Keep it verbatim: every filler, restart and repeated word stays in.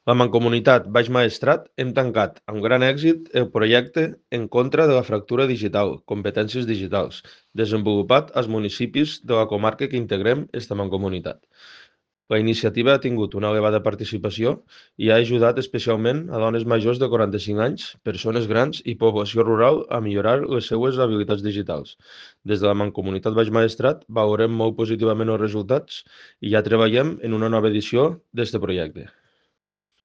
La Mancomunitat Baix Maestrat hem tancat amb gran èxit el projecte En contra de la fractura digital, competències digitals, desenvolupat als municipis de la comarca que integrem esta Mancomunitat. La iniciativa ha tingut una elevada participació i ha ajudat especialment a dones majors de quaranta-cinc anys, persones grans i població rural a millorar les seues habilitats digitals. Des de la Mancomunitat Baix Maestrat valorem molt positivament els resultats i ja treballem en una nova edició d'este projecte.